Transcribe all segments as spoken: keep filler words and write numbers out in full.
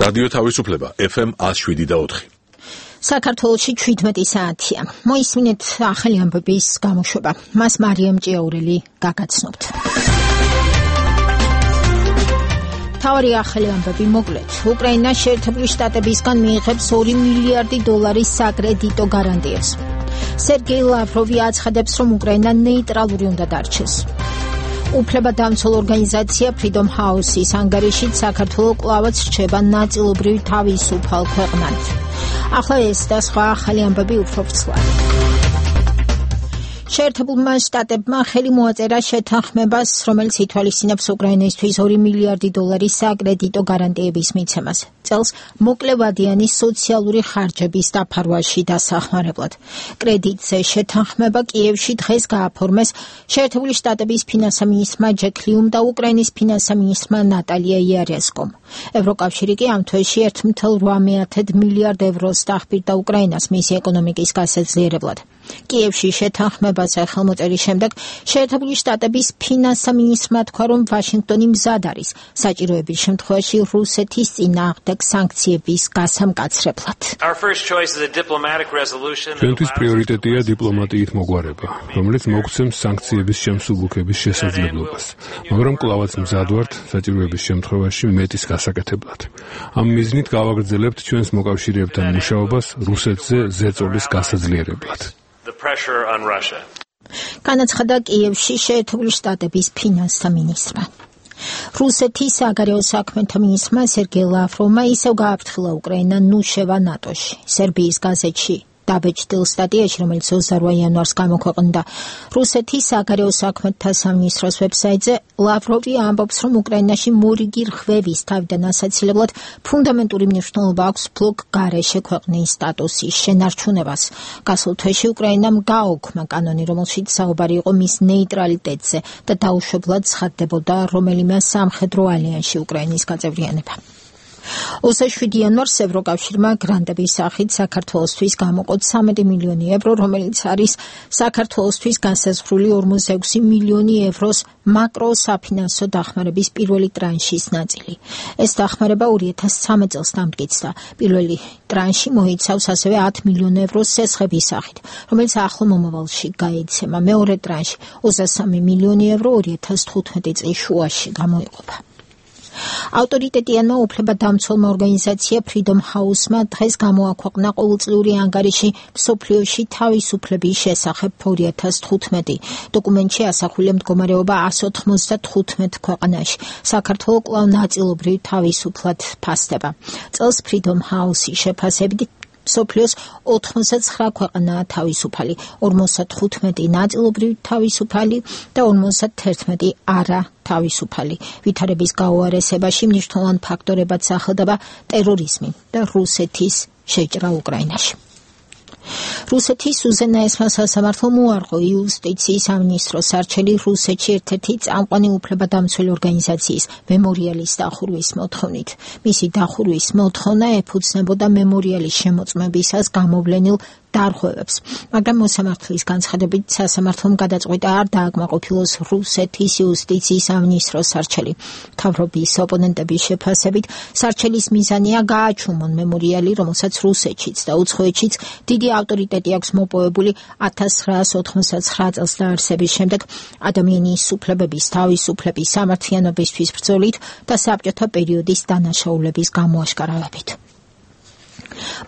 რადიო თავისუფლება ეფ ემ one oh seven და four. საქართველოში ჩვიდმეტი საათია. მოისმინეთ ახალი ამბების გამოშვება. მას მარიამ ჭიაურელი გაგაცნობთ. თავი ახალი ამბები მოკლედ. უკრაინა შეერთებული შტატებისგან მიიღებს ორი მილიარდი დოლარის საკრედიტო გარანტიებს. სერგეი ლავროვი აცხადებს, რომ უკრაინა ნეიტრალური უნდა დარჩეს. უფლებადამცველ ორგანიზაცია Freedom House-ის ანგარიშით საქართველო კვლავაც რჩება ნაწილობრივ თავისუფალ ქვეყნად. ახლა ეს და სხვა ახალი ამბები უფრო ვრცლად. შეერთებულმა შტატებმა ხელი მოაწერა შეთანხმებას, რომელიც ითვალისწინებს უკრაინისთვის ორი მილიარდი დოლარის საკრედიტო გარანტიების მიცემას. წელს მოკლევადიანი სოციალური ხარჯების დაფარვაში დასახმარებლად. კრედიტზე შეთანხმება კიევში დღეს გააფორმეს შეერთებული შტატების ფინანსთა მინისტრმა ჯეკ ლიუმ და უკრაინის ფინანსთა მინისტრმა ნატალია იარესკომ. ევროკავშირი კი ამ თვეში one point eight მილიარდ ევროს დაახბირდა უკრაინას მისი ეკონომიკის გასაძლიერებლად. კიევში შეთანხმებაზე ხელმოწერის შემდეგ შეერთებული შტატების ფინანსთა მინისტრმა თქვა, რომ ვაშინგტონი მზად არის საჭიროების შემთხვევაში რუსეთის წინააღმდეგ სანქციების გასამკაცრებლად. ჩვენთვის პრიორიტეტია დიპლომატიით მოგვარება, რომელიც მოგცემს სანქციების შემსუბუქების შესაძლებლობას, მაგრამ კვლავაც მზად ვართ საჭიროების შემთხვევაში მეტის გასაკეთებლად. ამ მიზნით გავაგრძელებთ ჩვენს მოკავშირეებთან მუშაობას რუსეთზე ზეწოლის გასაძლიერებლად. განაცხადა კიევში შეერთებული შტატების ფინანსთა მინისტრმა. რუსეთის საგარეო საქმეთა მინისტრმა სერგეი ლავროვმა ისევ გააფრთხილა უკრაინა ნუ შევა ნატოში. სერბიის გაზეთში დაბეჭდილ სტატიაში, რომელიც twenty-eight იანვარს გამოქვეყნდა რუსეთის საგარეო საქმეთა სამინისტროს ვებსაიტზე, ლავროვი ამბობს, რომ უკრაინაში მორიგი რღვევის თავიდან ასაცილებლად ფუნდამენტური მნიშვნელობა აქვს ბლოკ გარეშე ქვეყნის სტატუსის შენარჩუნებას. გასულ თვეში უკრაინამ გააუქმა კანონი, რომელშიც საუბარი იყო მის ნეიტრალიტეტზე და დაუშვებლად ცხადდებოდა რომელიმე სამხედრო ალიანსში უკრაინის გაწევრიანება. twenty-seven იანვარს ევროკავშირმა გრანტების სახით საქართველოსთვის გამოყო thirty მილიონი ევრო, რომელიც არის საქართველოსთვის განსაზღვრული forty-six მილიონი ევროს მაკროსაფინანსო დახმარების პირველი ტრანშის ნაწილი. ეს დახმარება two thousand thirteen წელს დამტკიცდა. პირველი ტრანში მოიცავს ასევე ten მილიონ ევროს სესხების სახით, რომელიც ახლო მომავალში გაიცემა. მეორე ტრანში twenty-three მილიონი ევრო two thousand fifteen წლის შუაში გამოიყოფა. ავტორიტეტიანმა უფლებადამცველმა ორგანიზაცია Freedom House-მა დღეს გამოაქვეყნა ყოველწლიური ანგარიში მსოფლიოში თავისუფლების შესახებ two thousand fifteen. დოკუმენტში ასახულია მდგომარეობა one ninety-five ქვეყანაში. საქართველო კვლავ ნაწილობრივ თავისუფლად ფასდება. წელს Freedom House-ის შეფასებით მსოფლიოს ninety-nine ქვეყანაა თავისუფალი, forty-five ნაწილობრივ თავისუფალი და forty-one არა თავისუფალი. ვითარების გაუარესებაში მნიშვნელოვან ფაქტორებად სახელდება ტერორიზმი და რუსეთის შეჭრა უკრაინაში. რუსეთის უზენაესმა სასამართლომ უარყო იუსტიციის სამინისტროს არჩელი რუსეთში ერთ-ერთი წამყვანი უფლებადამცველი ორგანიზაციის მემორიალის დახურვის მოთხოვნით. მისი დახურვის მოთხოვნა ეფუძნებოდა მემორიალის შემოწმებისას გამოვლენილ დარღვევებს, მაგრამ მოსამართლის განცხადებით სასამართლომ გადაწყვიტა არ დააკმაყოფილოს რუსეთის იუსტიციის სამინისტროს არჩელი. მთავრობის ოპონენტების შეფასებით სარჩელის მიზანია გააჩუმონ მემორიალი, რომელსაც რუსეთშიც და უცხოეთშიც დიდი ავტორიტეტი აქვს მოპოვებული nineteen ninety-nine წელს დაარსების შემდეგ ადამიანის უფლებების, თავისუფლების, სამართლიანობისთვის ბრძოლით და საბჭოთა პერიოდის დანაშაულების გამოაშკარავებით.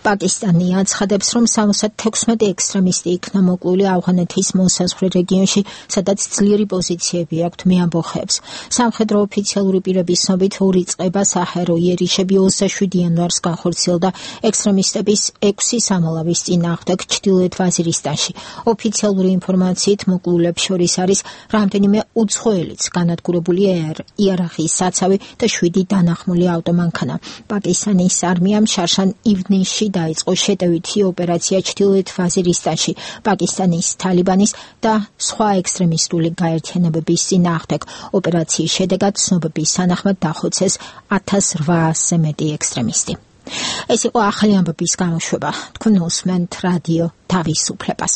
პაკისტანი აცხადებს, რომ sixty-six ექსტრემისტი იქნა მოკლული ავღანეთის მოსაზღვრე რეგიონში, სადაც ძლიერი პოზიციები აქვთ მეამბოხეებს. სამხედრო ოფიციალური პირების ცნობით ორი წყება საჰაერო იერიშები twenty-seven იანვარს განხორციელდა ექსტრემისტების six სამალავის წინააღმდეგ ჩრდილოეთ ვაზირისტანში. ოფიციალური ინფორმაციით მოკლულებს შორის არის რამდენიმე უცხოელიც, განადგურებული იარაღის საცავი და seven დანახმული ავტომანქანა. პაკისტანის არმიამ შარშან ივნის დაიწყო შეტევითი ოპერაცია ჩრდილოეთ ვაზირისტანში პაკისტანის თალიბანის და სხვა ექსტრემისტული გაერთიანებების წინააღმდეგ. ოპერაციის შედეგად ცნობების თანახმად დახოცეს eighteen hundred-ზე მეტი ექსტრემისტი. ეს იყო ახალი ამბების გამოშვება. თქვენ უსმენთ რადიო თავისუფლებას.